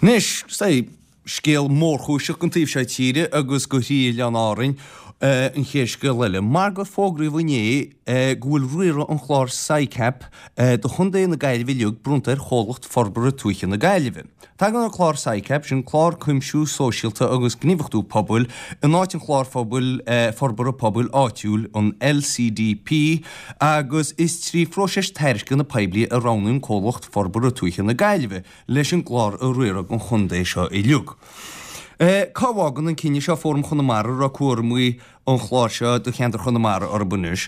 Anois, sea, scéal mórchúiseach don taobh seo tíre agus go thrí Oileáin Árainn an chéad scéal eile, mar gur fógraíodh inné go bhfuil riaradh an chláir SICAP do Chontae na Gaillimhe uilig bronnta ar Chomhlacht Forbartha Tuaithe na Gaillimhe. Tagann an clár SICAP, sin Clár Cuimsiú Sóisialta agus Gníomhachtú Pobail, in áit an Chláir Phobail Forbartha Pobail Áitiúil, an LCDP, agus is trí phróiseas tairisceana poiblí a roghnaíodh an Comhlacht Forbartha Tuaithe na Gaillimhe leis an gclár a riaradh don chontae seo uilig. Cá bhfágann an cinneadh seo Fóram Chonamara a raibh cúramaí an chláir seo do cheantar Chonamara orthu anois?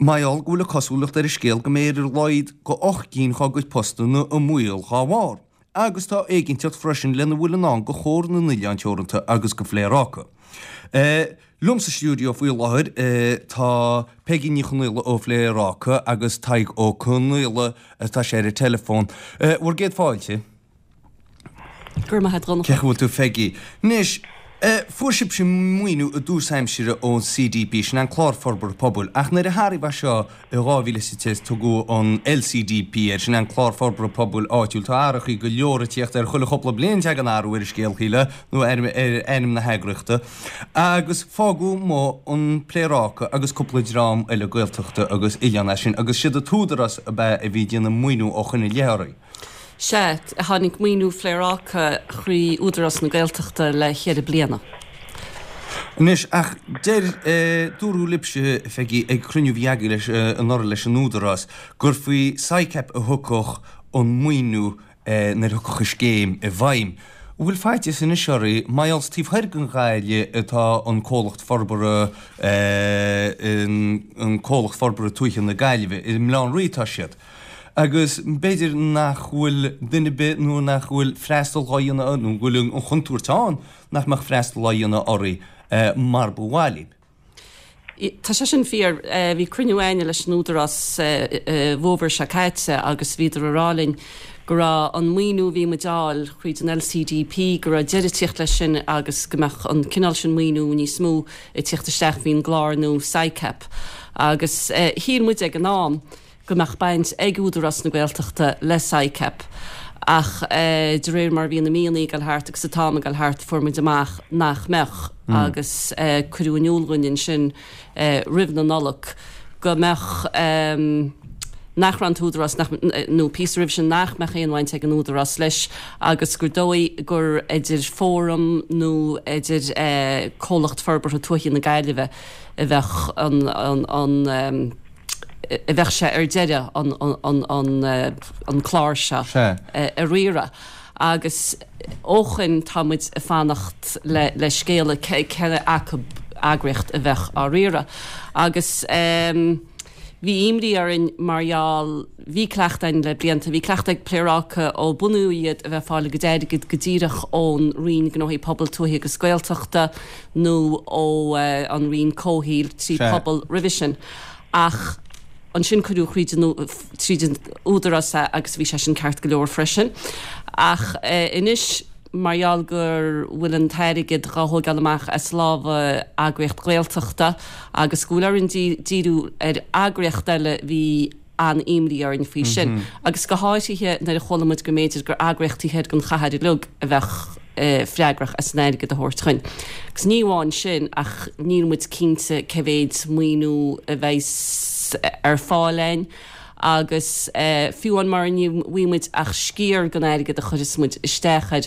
Mar gheall go bhfuil an cosúlacht ar an scéal go mbeidh ar a laghad go 8 gcinn dhá gcuid postanna i mbaol dhá bharr. Agus tá éiginnteacht freisin lena bhfuil i ndán do Chomhar na nOileán Teoranta agus do Phléaráca. Liom sa stiúideo faoi láthair tá Peigí Ní Chonaola ó Phléaráca agus Tadhg Ó Conaola, tá sé ar an teileafón. Bhur gcéad fáilte. Go raibh maith a't a Dhonncha. Cén chaoi a bhfuil tú Pheigí? Anois, fuair sibhse maoiniú i dtús aimsire ón CDP, sin an Clár Forbartha Pobail, ach nuair a hathraíodh é seo I 2010 tugadh an LCDP air, sin an Clár Forbartha Pobail Áitiúil. Tá athrachaí go leor ag tíocht air, chuile chúpla bliain tagann athrú ar an scéal, shílfeá, nó ar ainm na heagraíochta. Agus fágadh amuigh an Pléaráca agus cúpla dream eile Gaeltachta agus oileán as sin, agus siad an tÚdarás ab ea a bhí ag déanamh maoiniú ó shoin i leith oraibh. Sea, tháinig maoiniú Phléaráca thrí Údarás na Gaeltachta le cheithre bliana. Anois, ach deir, dúradh libhse, a Pheigí, ag cruinniú a bhí agaibh leis, anuraidh leis an Údarás, gur faoi SICAP a thiocfadh an maoiniú nuair a thiocfadh an scéim i bhfeidhm. An bhfuil faitíos anois oraibh, mar gheall is taobh thoir den Ghaillimh atá an comhlacht forbartha, an comhlacht forbartha tuaithe na Gaillimhe, i mBaile Átha an Rí atá siad. Agus b'fhéidir nach bhfuil duine ar bith nó nach bhfuil freastal dhá dhéanamh, nó go bhfuil an chontúirt ann nach mbeadh freastal á dhéanamh oraibh mar ba mhaith libh. Tá sé sin fíor. Bhí cruinniú a'inne leis an Údarás sa bhfómhar seo caite agus bhíodar a rá linn go raibh an maoiniú a bhí muid a fháil thríd an LCDP, go raibh deireadh ag tíocht leis sin agus go mbeadh an cineál sin maoiniú níos mó ag tíocht isteach faoin gclár nua SICAP. Agus shíl muid ag an am, go mbeadh baint ag Údarás na Gaeltachta le SICAP ach de réir mar a bhí na míonna ag dul thart agus an t-am ag dul thart fuair muid amach nach mbeadh agus cuireadh in iúl dhúinn ansin roimh na Nollag go mbeadh nach raibh an tÚdarás, nó píosa roimhe sin, nach mbeadh aon bhaint ag an Údarás leis agus gur dóigh gur idir Fóram nó idir Comhlacht Forbartha Tuaithe na Gaillimhe a bheadh an a bheadh sé ar deireadh an clár seo a riaradh agus ó shoin tá muid ag fanacht le scéala cé acu eagraíocht a bheadh á riaradh agus bhí imní orainn mar gheall, bhí cleachtadh againn le blianta, bhí cleachtadh ag Pléaráca ó bunaíodh iad a bheith ag fáil a gcuid airgid go díreach ón Roinn Gnóthaí Pobail, Tuaithe agus Gaeltachta nó ó an Roinn Comhshaoil trí Pobal roimhe sin. Ach ansin cuireadh thríd an tríd an Údarás é agus bhí sé sin ceart go leor freisin. Ach anois mar gheall go bhfuil an t-airgead dhá thóigeáil amach as lámha eagraíocht Ghaeltachta agus go bhfuil orainn díriú ar eagraíocht eile bhí an-imní orainn faoi sin. Agus go háirithe nuair a chuala muid go mb'fhéidir gur eagraíocht taobh thoir den chathair uilig a bheadh freagrach as an airgead a thabhairt chugainn. Agus ní amháin sin ach níl muid cinnte cé mhéid maoiniú a bheas ar fáil againn agus fiú amháin mura bhfaighidh muid ach sciar den airgead a chuirfeas muid isteach air,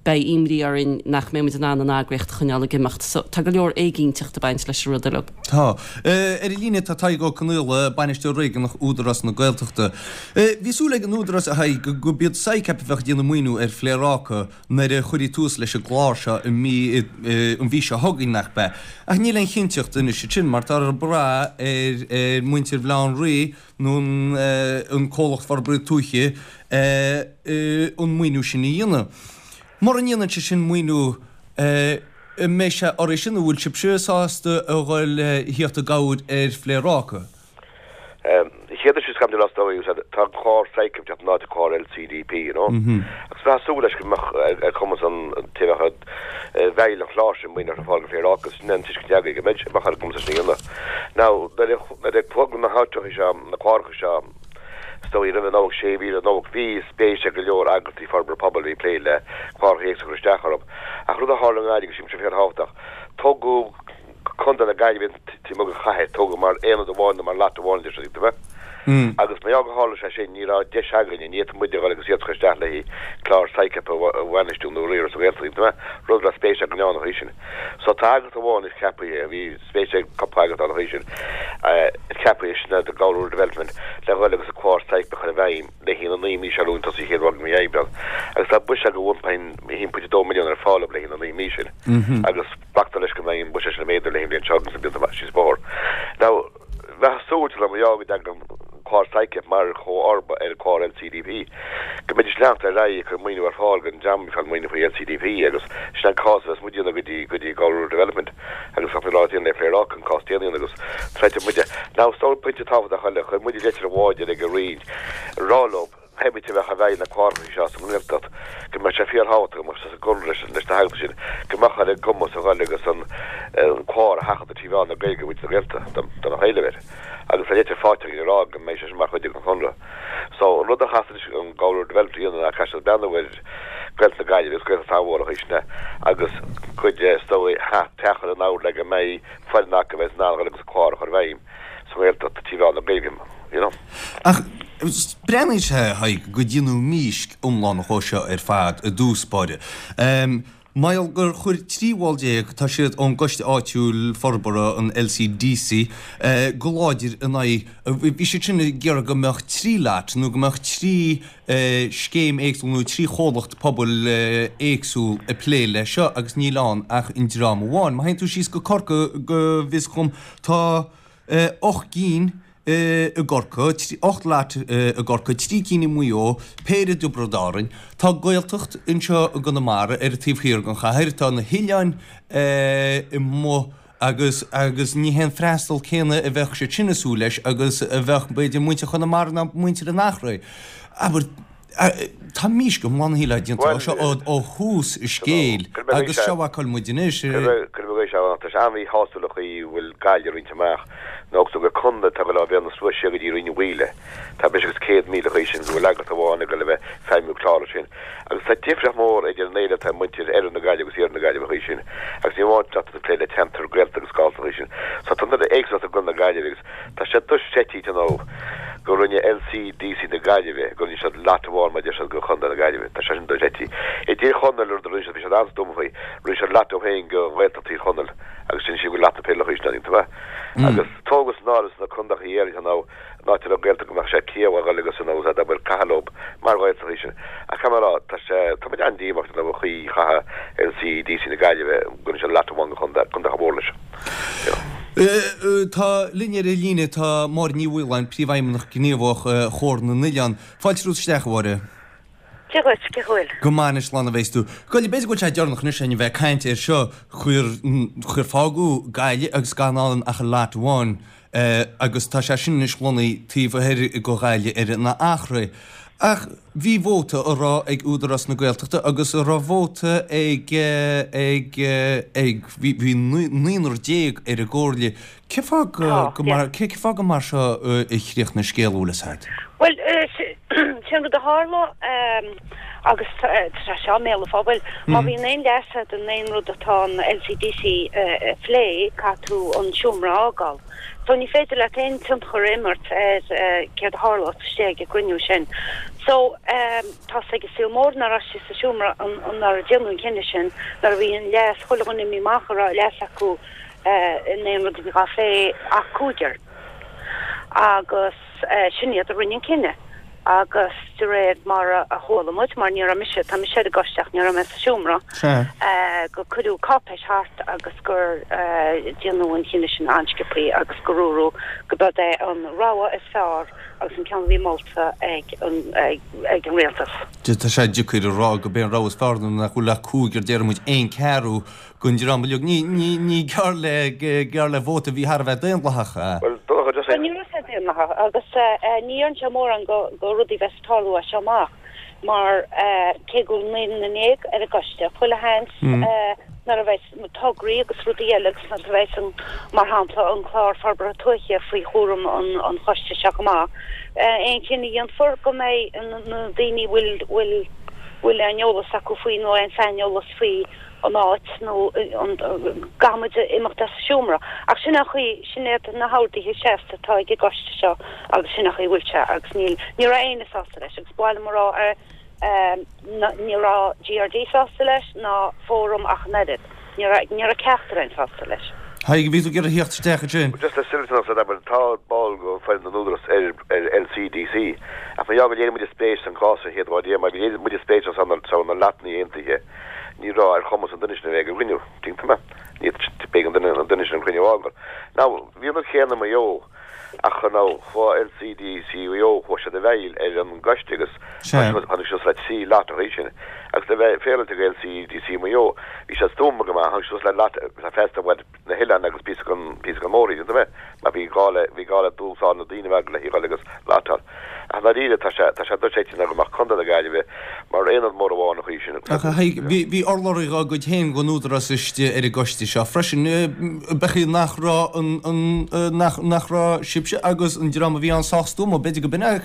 beidh imní orainn nach mbeidh muid in ann an eagraíocht a choinneáil ag imeacht. So, tá go leor éiginnteacht ag baint leis an rud uilig. Tá. Ar an líne tá Tadhg Ó Conaola, Bainisteoir Réigiúnach Údarás na Gaeltachta. Bhí súil ag an Údarás, a Thaidhg, go b'iad SICAP a bheadh ag déanamh maoiniú ar Phléaráca nuair a chuirfí tús leis an gclár seo i mí, an mhí seo chugainn, nach b'ea? Ach níl aon chinnteacht anois ansin mar tá ag brath ar mhuintir Bhaile Átha an Rí nó an Comhlacht Forbartha Tuaithe an maoiniú sin a dhéanamh. Mura ndéanann sé sin maoiniú, an mbeidh sé oraibh sin, an bhfuil sibhse sásta a dhul a thíocht i gcabhair ar Phléaráca? Chéad is cam de dóigh tá an clár SICAP ag teacht in áit an clár LCDP, you know. Agus bheadh súil leis go mbeadh ar chumas an té a bheadh i bhfeighil an chláir sin maoiniú a fháil do Phléaráca, sin an tuiscint againn go mbeidh mbeadh ar a gcumas sin a dhéanamh. Now, nuair a Nuair a tugadh na háiteacha seo, na cláracha seo. Is dóigh roimh an Nollaig, sé mhí roimh an Nollaig, bhí spéis ag go leor eagrachtaí forbartha pobail a bhí ag plé le cláracha éagsúla a chur isteach orthu. Ach rud a tharla i nGaillimh, agus sílim sé fíorthábhachtach, tógadh Contae na Gaillimhe taobh amuigh den chathair, tógadh mar aonad amháin nó mar lot amháin deir siad, tuigim. Agus mar gheall gur tharla sé sin, ní raibh deis againne, ní fhéadfadh muide a dhul agus iarratas a chur isteach le haghaidh clár SICAP a bhainistiú nó a riaradh sa Ghaeltacht, tuigim, rud a raibh spéis againn ann an chaoi sin. So tá eagraíocht amháin anois ceaptha, bhí spéis ag cúpla eagraíocht ann an chaoi sin, ceaptha sin The Galway Rural Development le dhul agus an clár SICAP a chur i bhfeidhm le haghaidh na naoi mí seo romhainn tosaí chéad mhí Aibreán. Agus tá buiséad de 1.2 milliún ar fáil le haghaidh na naoi mí sin. Agus glactar leis go mbeidh an buiséad sin ag méadú le haghaidh an bhliain seo agus na blianta síos an bóthar. Now, bheifeá ag súil mar gheall go dtagann an clár SICAP mar chomharba ar an chlár LCDP, go mbeidís ag leanacht ar aghaidh ag cur maoiniú ar fáil don dream a bhí ag fáil maoiniú faoi LCDP agus sin an cás a bheas muid a dhéanamh go dtí go dtí Galway Rural Development agus tá mé ag rá le Pléaráca an cás déanaí agus troidfidh muide. Now, is dóigh pointe tábhachtach eile, chuir muide leitir amháin ag an Roinn ag rá leo, pé bith a bheadh i bhfeighil na cláracha seo sa nGaeltacht, go mbeadh sé fíorthábhachtach go mbeadh sé sa gconradh leis na heagraíochtaí sin, go mbeadh ar a gcumas a dhul agus an clár a sheachadadh trí mheán na Gaeilge do mhuintir na Gaeltachta, dá mbeadh éileamh air. Agus tá litir faighte againn ag rá go mbeidh sé sin mar chuid den chonradh. So, an rud a chaithfeas anois an Galway Rural Development a dhéanamh ná caithfidh siad breathnú ar Ghaeltacht na Gaillimhe agus Gaeltacht an-mhór an chaoi sin é agus cuid de, is dóigh, teach a chur in ord le go mbeidh foireann acu a bheas in ann a dhul agus an clár a chur i bhfeidhm. sa nGaeltacht trí mheán na Gaeilge, you know. Ach breathnaíonn sé, a Thaidhg, go déanadh mísc iomlán dhó seo ar fad i dtús báire. Mar gheall gur chuir 13 bhall, tá siad ón gcoiste áitiúil forbartha, an LCDC, go láidir in aghaidh, bhí siad sin ag iarraidh go mbeadh trí lot nó go mbeadh trí scéim éagsúil nó 3 chomhlacht pobail éagsúil ag plé leis seo agus níl ann ach an dream amháin. Má théann tú síos go Corcaigh go bhfios dhom tá 8 gcinn i gCorcaigh, 8 lot i gCorcaigh, 3 cinn i Maigh Eo, péire i dTiobraid Árann. Tá Gaeltacht anseo i gConamara ar an taobh thiar den chathair, tá na hoileáin amuigh Agus, agus ní hé an freastal céanna a bheadh siad sin ag súil leis agus a bheadh, b'fhéidir, muintir Chonamara ná muintir an Eachréidh. Abair, tá mísc iomlán shílfeá déanta de seo ó thús an scéil agus seo a fheiceann muid anois. Cuir i gcás, tá sé an-mhíshásúil an chaoi a bhfuil Gaillimh roinnte amach nó agus gur contae atá ag dul ó Bhéal na Sluaighe siar go dtí Rinn an Mhaoile. Tá breis agus 100,000 an chaoi sin go bhfuil eagraíocht amháin ag dul a bheith ag feidhmiú clár sin. Agus tá difríocht mhór idir an éileamh atá ag muintir oirthear na Gaillimhe agus iarthar na Gaillimhe an chaoi sin. Agus ní amháin tá tú ag plé le ceantar Gaeltachta agus Galltacht an chaoi sin. So tá an éagsúlacht i gContae na Gaillimhe agus tá sé dochreidte you know go rinne LCDC na Gaillimhe, go rinne siad lot amháin mar a deir siad go Chontae na Gaillimhe. Tá sé sin dochreidte. I dTír Chonaill rud a rinne siad, bhí siad an-stuama faoi, rinne siad lot dóibh féin go Ghaeltacht Thír Chonaill agus sin siad go lot na Péile an chaoi sin, tuigim. Agus tógadh san áireamh sna contaetha Éireann you know an áit a raibh Gaeltacht go mbeadh sé ciallmhar a dhul agus an nós abair caitheamh leo mar Ghaeltacht í sin. Ach caithfidh mé a rá, tá sé, tá muid an-díomách den chaoi a chaith LCDC na Gaillimhe, go rinne siad lot amháin go chontae, contae chomh mór leis. You know. Tá linn ar an líne, tá Máire Ní Mhaoláin, Príomhfheidhmeannach Gníomhach Chomhar na nOileán. Fáilte romhat isteach, a Mháire. Dia dhuit, cén chaoi a bhfuil? Go maith anois, slán a bheas tú. Bhuel, b'fhéidir go bhfuil sé deireanach anois againn a bheith ag caint air seo, chuir, chuir fágadh Gaillimh agus gan ann ach an lot amháin agus tá sé sin anois lonnaithe taobh thoir go Ghaillimh ar an Eachréidh. Ach bhí vóta á rá ag Údarás na Gaeltachta agus a raibh vóta ag, ag, ag, bhí, bhí naonúr déag ar an gcomhairle. Cén fáth go, mar, cén fáth gur mar seo a chríochnaigh an scéal, an bhfuil fhios a'd? Bhuel, sin rud a tharla agus tá sé seo i mbéal an phobail. Má bhíonn aon leas a'd in aon rud atá an LCDC a phlé, caithfidh tú an seomra a fhágáil. So ní féidir leat aon tionchar a imirt ar céard a tharlós istigh ag an gcruinniú sin. So tá's ag an saol mór nach raibh siad sa seomra nuair a déanadh an cinneadh sin, nuair a bhí an leas, chuile dhuine imithe amach a raibh leas acu in aon rud a bhí dhá phlé ach cúigear agus sin iad a rinne an cinneadh agus de réir mar a chuala muid, mar ní raibh mise, tá mise ar an gcoiste ach ní raibh mé sa seomra, gur cuireadh cáipéis thart agus gur déanadh an cinneadh sin an-sciobthaí agus gur dúradh go b'é an rogha is fearr agus an ceann a bhí molta ag an rialtas. Tá sé deacair a rá go b'é an rogha is fearr nuair nach bhfuil ach cúigear, déarfaidh muid aon ceathrú den dream uilig. Ní, ní, ní gearr le, gearr le vóta a bhí thar a bheith daonlathach. Bhuel, Donncha, just Ní raibh sé daonlathach agus ní dhéanann sé mórán go, go rudaí bheas ag tarlú as seo amach. Mar cé go bhfuil 19 ar an gcoiste, chuile sheans nuair a bheas tograí agus rudaí eile agus nuair a bheas an, mar shampla, an Clár Forbartha Tuaithe faoi chúram an choiste seo chomh maith, aon chinneadh a dhéanfar go mbeidh na daoine a bhfuil, bhfuil, bhfuil aon eolas acu faoi nó aon saineolas faoi an áit nó an, caithfidh muid imeacht as an seomra. Ach sin an chaoi, sin iad na horduithe seasta atá ag an gcoiste seo agus sin an chaoi a bhfuil sé agus níl, ní raibh éinne sásta leis agus ba mhaith liom a rá ní raibh GRD sásta leis ná Fóram ach an oiread. Ní raibh, ní raibh ceachtar againn sásta leis. Tadhg, bhí tú ag iarraidh theacht isteach ansin. Just le Silverton agus abair, tá ball go foireann den Údarás ar ar LCDC ach mar gheall gur léirigh muide spéis san cás an chéad lá riamh mar léirigh muide spéis ansan sa na lotanna aontaithe ní raibh ar chumas an duine sin a bheith ag an gcruinniú, tuigeann tú mé? Ní b'éigean an duine an duine sin an cruinniú a fhágáil. Now bhí an rud céanna i Maigh Eo. Ach now, chuaigh LCDC Mhaigh Eo, chuaigh siad i bhfeighil ar an gcoiste agus tháinig siad suas le 3 lot an chaoi sin. Agus le bheith féaráilte do LCDC Mhaigh Eo, bhí siad stuama go maith, tháinig siad suas le lot le freastal ar na hoileáin agus píosa den, píosa den mhór-roinn, tuigeann tú mé, mar bhí gá le, bhí gá le dúshlán na daoine a bheith le híoc agus lotáil. Ach i ndáiríre, tá sé, tá sé dochreidte ná go mbeadh Contae na Gaillimhe mar aonad mór amháin an chaoi sin. Ach a Thaidhg, bhí, bhí urlabhraí dhá gcuid féin den Údarás istigh ar an gcoiste seo freisin. B'fhéidir nach raibh an, an, nach, nach raibh sibhse agus an dream a bhí ann sách stuama, b'fhéidir go b'in é,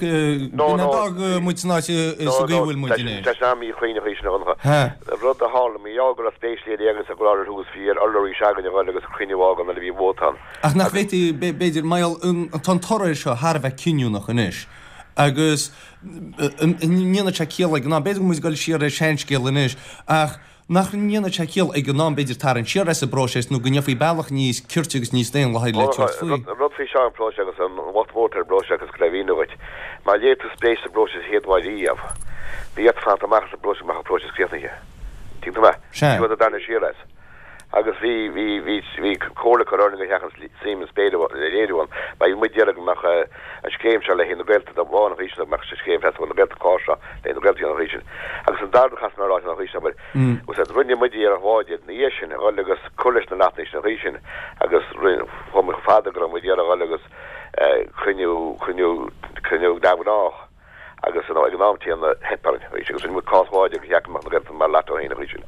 No, b'in é no. d'fhág muid san áit sa No, gcaoi a no, bhfuil muid tá sin, anois. tá sin an-mhíchruinn an chaoi sin a Dhonncha. Ha. Rud a tharla, mar gheall go raibh spéis léirithe againn sa gclár ar thús, bhí ar urlabhraí s'againn a dhul agus cruinniú a fhágáil nuair a bhí vóta ann. Ach nach bhféadfaí, b'fhéidir, mar gheall, tá an toradh air seo thar a bheith cinniúnach anois agus an ndéanfadh sé ciall ag an am, b'fhéidir go bhfuil muid ag dul siar ar seanscéal anois, ach nach ndéanfadh sé ciall ag an am, b'fhéidir, tarraingt siar as an bpróiseas nó go ndéanfaí bealach níos cirte agus níos daonlathaí le tabhairt faoi. An rud faoi seo, an próiseas agus an locht mór atá ar an bpróiseas agus le mhíniú dhuit, má léirigh tú spéis sa bpróiseas an chéad lá riamh, bhí ort fanacht amach as an bpróiseas go mbeadh an próiseas críochnaithe. Tuigeann tú mé? Sea. Ní raibh tú ag tarraingt siar as. Agus bhí, bhí, bhí, bhí comhairle curtha orainn gur sheachaint suim is spéire a léiriú ann. Mar bhí muid ag iarraidh go mbeadh an scéim seo le haghaidh na Gaeltachta amháin an chaoi sin, go mbeadh scéim Freastal na Gaeltachta clár seo le haghaidh na Gaeltachta an chaoi sin. Agus an dara rud a chaithfidh mé a rá an chaoi sin, abair, agus rinne muid iarracht láidir ina dhiaidh sin a dhul agus cur leis na lotanna sin an chaoi sin agus rinne, chuaigh muid chomh fada go raibh muid ag iarraidh a dhul agus cruinniú, cruinniú, cruinniú neamhghnách. agus ag an am céanna theip orainn arís agus rinne muid cás láidir gur cheart go mbeadh na Gaeltachta mar lot féin arís sin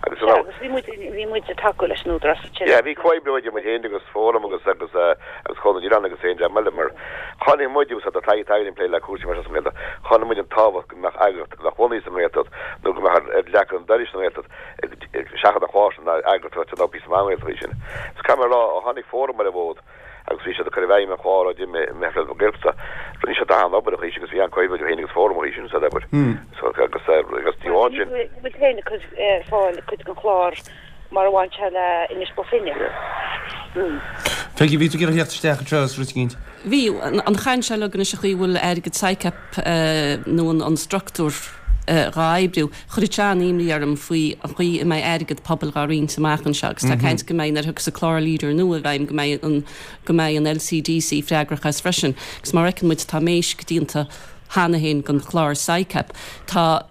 agus Sea, agus bhí muid, bhí muid ag tacú leis an Údarás ansin. Yeah, bhí comhoibriú idir muid féin agus Fóram agus agus agus Chónaidhm na nOileán agus aon dream eile mar chonaic muid agus tá taithí againn ag plé le cúrsaí mar seo sa nGaeltacht, chonaic muid an tábhacht go mbeadh eagraíocht a bheadh bunaithe sa nGaeltacht nó go mbeadh ar ar leac an dorais sa nGaeltacht seachas an chlár sin ná eagraíocht a bheadh píosa maith i nGaeltacht í sin. Is caithfidh mé a rá ó tháinig Fóram ar an bhfód, agus bhí siad ag cur i bhfeidhm an chlár ó d'imigh Meitheal na Gaeltachta. Rinne siad an-obair an chaoi sin agus bhí an-comhoibriú idir féin agus Fóram an chaoi sin san obair. So agus agus ní amháin sin. Bhí muid féin ag cur ar fáil cuid den chlár mar a bhain sé le Inis Bó Finne. Peggy, bhí tú ag iarraidh theacht isteach anseo is rud éicint. Bhí. An chaint seo uilig anois an chaoi a bhfuil airgead SICAP nó an structúr dhá oibriú. Chuirfeadh sé an-imní orm faoi an chaoi a mbeidh airgead pobail dhá roinnt amach anseo agus tá caint go mbeidh, nuair a thiocfas an clár Leader nua i bhfeidhm, go mbeidh an, go mbeidh an LCDC freagrach as freisin. Agus mar a fheiceann muid tá méisc déanta cheana féin den chlár SICAP. Tá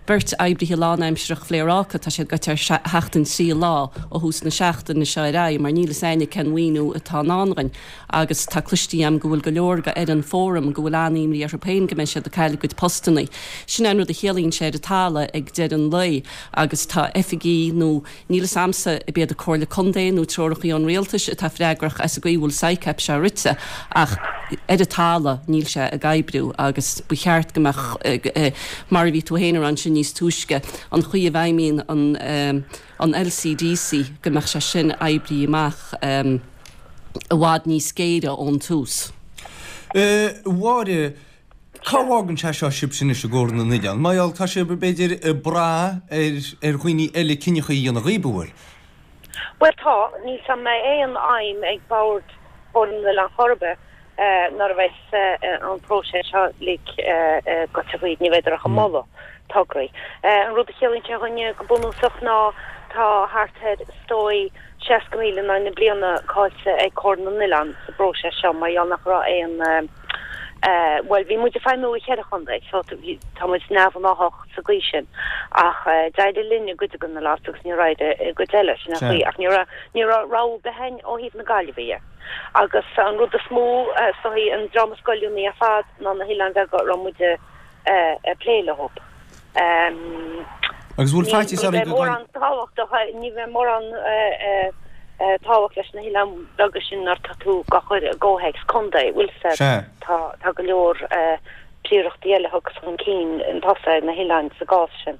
beirt oibrithe lánaimsearach Phléaráca, tá siad goite ar sheachtain 3 lá ó thús na seachtaine seo ar aghaidh mar níl fhios a'inne cén mhaoiniú atá i ndán dhuinn. Agus tá cloiste a'm go bhfuil go leor go fhoireann Fóram go bhfuil an-imní orthu féin go mbeidh siad ag cailleadh a gcuid postannaí. Sin é an rud a chiallaíonn sé ar an talamh ag deireadh an lae agus tá oifigí nó níl fhios a'msa ab iad an Comhairle Contae nó treorachaí ón Rialtais atá freagrach as an gcaoi a bhfuil SICAP seo rite ach ar an talamh níl sé ag oibriú agus ba cheart go mbeadh mar a bhí tú féin a rá ansin níos túisce an chaoi a bhfeidhmíonn an an LCDC go mbeadh sé sin oibrithe amach i bhfad níos géire ón tús. A Mháire, cá bhfágann sé seo sibhse anois i gComhar na nOileán? Mar gheall, tá sibh, b'fhéidir, ag brath ar ar dhaoine eile cinneacha a dhéanamh dhaoibh, an bhfuil? Bhuel tá, níl 's a'm an mbeidh aon fheidhm ag Bord Chomhar na nOileán chor ar bith nuair a bheas an próiseas seo uilig goite thríd, ní bheidh ach ag moladh tograí. An rud a chiallaíonn sé dhúinne go bunúsach ná tá thart ar, is dóigh, 60,000 in aghaidh na bliana caillte ag Comhar na nOileán sa bpróiseas seo mar gheall nach raibh aon, bhuel, bhí muid ag feidhmiú i cheithre chontae so tá muid neamhghnáthach sa gcaoi sin ach d'éirigh linn i gcuid de na lots agus níor éirigh i gcuid eile, sin an chaoi ach ní raibh, ní raibh rogha ar bith againn ó thaobh na Gaillimhe dhe. Agus an rud is mó, is dóigh, an dream is goilliúnaí ar fad ná na hoileáin bheaga a raibh muid ag plé leo. Agus bhfuil faitíos oraibh go mórán tábhachtach, ní bheidh mórán tábhacht leis na hoileáin bheaga sin nuair atá tú á chur i gcomhthéacs contae, bhfuil 'fhios a'd. Sea. Tá, tá go leor príorachtaí eile a thiocfas chun cinn chun tosaigh ar na hoileáin sa gcás sin.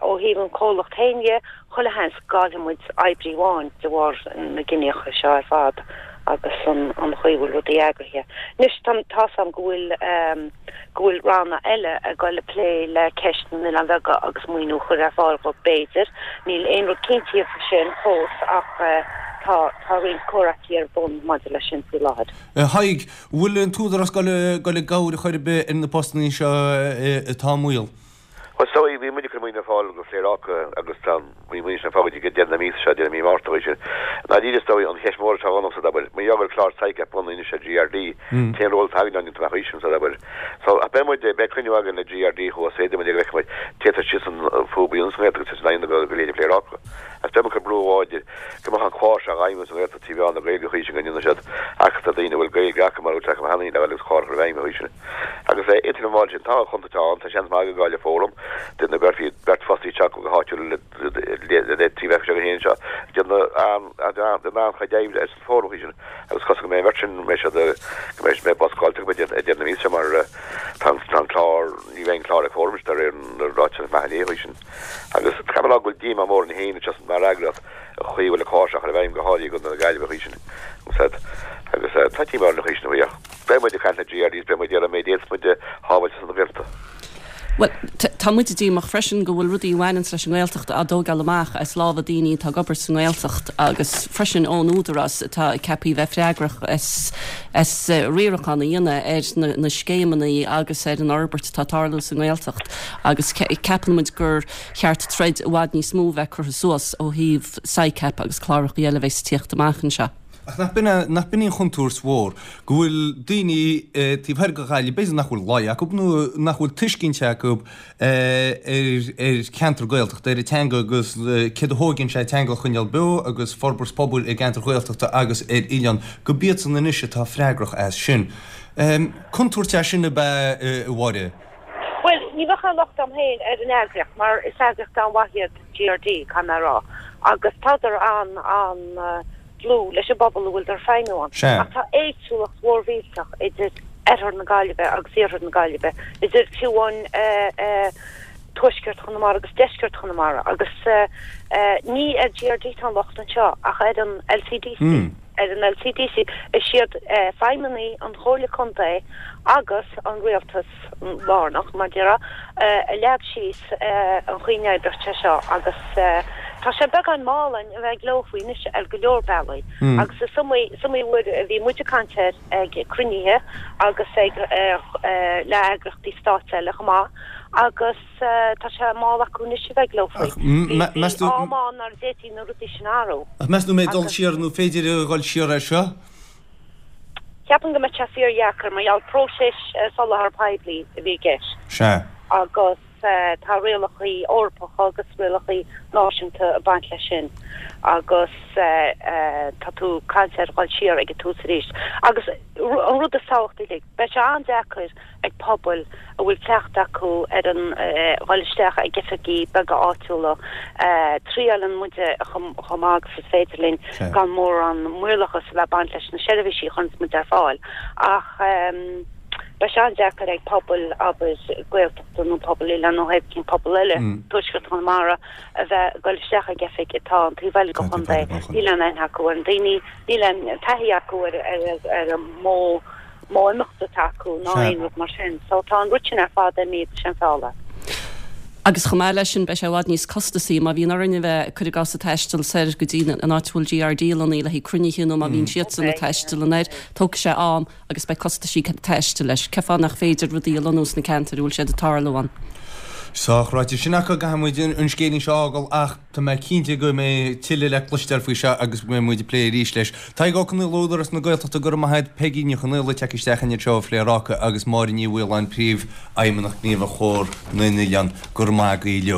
Ó thaobh an chomhlacht féin dhe, chuile sheans go gcaillfidh muid oibrí amháin de bharr na gciníocha seo ar fad agus an chaoi a bhfuil rudaí eagraithe. Anois, tá, tá's a'm go bhfuil, go bhfuil ranna eile ag goil ag plé le ceist na n-oileán bheaga agus maoiniú a chur ar fáil dhóibh b'fhéidir. Níl aon rud cinntithe faoi sin fós ach tá, tá roinnt comhráití ar bun maidir leis sin faoi láthair. A Thaidhg, bhfuil an tÚdarás ag goil i gcabhair ar chor ar bith ar na postannaí seo atá i mbaol? Bhuel, is dóigh, bhí muid ag cur maoiniú ar fáil go Pléaráca agus tá an maoiniú sin ar fáil go dtí deireadh na míosa seo, deireadh mí Márta, an chaoi sin. I ndáiríre, is dóigh, an cheist mhór atá dhomsa, abair, mar gheall go bhfuil clár SICAP bunaithe anois ar GRD, cén ról atá againn ann amach anseo, abair. So, ach beidh muid, beidh cruinniú againn le GRD thuas, féadfaidh muid é go bhfeicfidh muid, téitear síos an fúbaí ionnas an Ghaeltacht agus san go go léite Pléaráca. Agus beidh muid ag cur brú láidir go mbeadh an clár seo á fheidhmiú sa Ghaeltacht 3 mheán na Gaeilge an chaoi sin go ndéanfaidh siad earcaíocht ar daoine a bhfuil Gaeilge acu mar a bhfuil acu cheana féin agus clár a chur i bhfeidhm an chaoi sin. Agus idir an bháil sin, tá contúirt ann, tá seans maith go gcaillfidh Fóram, duine go gcuirfí beirt fostaí isteach go háitiúil le trí bheith seo féin seo, déanamh an-chuid oibre ar son Fóram faoi sin, agus cosúil go mbeidh an bheirt sin, go mbeidh siad, go mbeidh mé boscáilte acu ag deireadh na míosa seo mar tá an clár, ní bheidh an clár ag Fóram de réir na ráiteas maith inné faoi sin. Agus caithfidh mé a rá go bhfuil díomá mór orainn féin anseo mar eagraíocht an chaoi a bhfuil an clár seo á chur i bhfeidhm go háirithe i gContae na Gaillimhe faoi sin. Agus tá díomá orainn faoi sin faoi ach. Beidh muid ag caint le GRD is beidh muid ag iarraidh an méid a fhéadfas muid a shábháilt ar son na Gaeltachta. Bhuel, tá muid díomách freisin go bhfuil rudaí a bhaineanns leis an nGaeltacht á dtógáil amach as lámha daoine atá ag obair sa nGaeltacht agus freisin ón Údarás atá ceaptha a bheith freagrach as as riarachán a dhéanamh ar na na scéimeanna agus ar an fhorbairt atá ag tarlú sa nGaeltacht agus ceapann muid gur cheart troid i bhfad níos mó a bheith curtha suas ó thaobh SICAP agus cláracha eile a bheas ag tíocht amach anseo. Ach nach b'in é, nach b'in í an chontúirt mhór, go bhfuil daoine taobh thoir de Ghaillimh, b'fhéidir nach bhfuil láí acu nó nach bhfuil tuiscint acu ar cheantar Gaeltachta, ar an teanga agus céard a thóigeann sé teanga a choinneáil beo agus forbairt pobail i gceantar Ghaeltachta agus ar oileán, go b'iadsan anois atá freagrach as sin. Contúirt é sin ab ea, a Mháire? Bhuel, ní bheadh aon locht agam féin ar an eagraíocht mar is eagraíocht an-mhaith iad GRD, caithfidh mé a rá, agus tádar an, an, dlúth leis an bpobal a bhfuileadar ag feidhmiú ann. Sea. Ach tá éagsúlacht mhór mhillteach idir oirthear na Gaillimhe agus iarthar na Gaillimhe, idir fiú amháin tuaisceart Chonamara agus deisceart Chonamara. Agus ní ar GRD atá an locht anseo ach ar an LCDC. Ar an LCDC. Is iad feidhmeannaigh an Chomhairle Contae agus an Rialtas lárnach, mar déarfá, a leag síos an chaoi a n-oibreoidh sé seo agus tá sé beagán mall orainn a bheith ag leo faoi anois ar go leor bealaí agus is iomaí, is iomaí uair a bhí muid ag caint air ag cruinnithe agus ag le eagraíochtaí stáit eile chomh maith agus tá sé mall acu anois a bheith ag leo faoi. Bhí am ann nuair a d'fhéadfaí na rudaí sin a athrú. Ach meas tú an mbeidh dul siar nó féidir a dhul siar air seo? Ceapaim go mbeadh sé fíordheacair mar gheall próiseas soláthar poiblí a bhí i gceist. Sea. Agus tá rialacha Eorpacha agus rialacha náisiúnta ag baint leis sin agus tá tú ag caint ar dhul siar ag an tús arís. Agus an rud is tábhachtaí uilig, beidh sé an-deacair ag pobail a bhfuil teacht acu ar an dhul isteach ag oifigí beaga áitiúla. Triaileann muide chomh maith agus is féidir linn gan mórán maorlathas a bheith ag baint leis na seirbhísí a chuireanns muid ar fáil ach beidh sé an-deacair ag pobail, abair, Gaeltachta nó pobail oileáin nó pé cén pobal eile, Tuaisceart Chonamara, a bheith ag dul isteach ag oifig atá an taobh eile den chontae. Níl aon aithne acu ar na daoine, níl aon taithí acu ar an modh modh imeachta atá acu ná aon rud mar sin. So tá an rud sin ar fad imithe de shamhail. Agus chomh maith leis sin beidh sé i bhfad níos costasaí má bhíonn orainn a bheith, cuir i gcás, ag taisteal soir go dtí an áit a bhfuil GRD lonnaithe le haghaidh cruinnithe nó má bhíonn siadsan ag taisteal anoir, tógfaidh sé am agus beidh costaisí taistil leis. Cén fáth nach féidir rudaí a lonnú sna ceantair a bhfuil siad ag tarlú ann? Sách ráite sin acu, caithfidh muid an scéilín seo a fhágáil ach tá mé cinnte go mbeidh tuilleadh le cloisteáil faoi seo agus go mbeidh muid ag plé arís leis. Tadhg Ó Conaola, Údarás na Gaeltachta, go raibh maith agat, Peigí Ní Chonaola, ag teacht isteach anseo ar Phléaráca agus Máire Ní Mhaoláin, Príomhfheidhmeannach Gníomhach Chomhar na nOileán, go raibh maith agaibh uilig.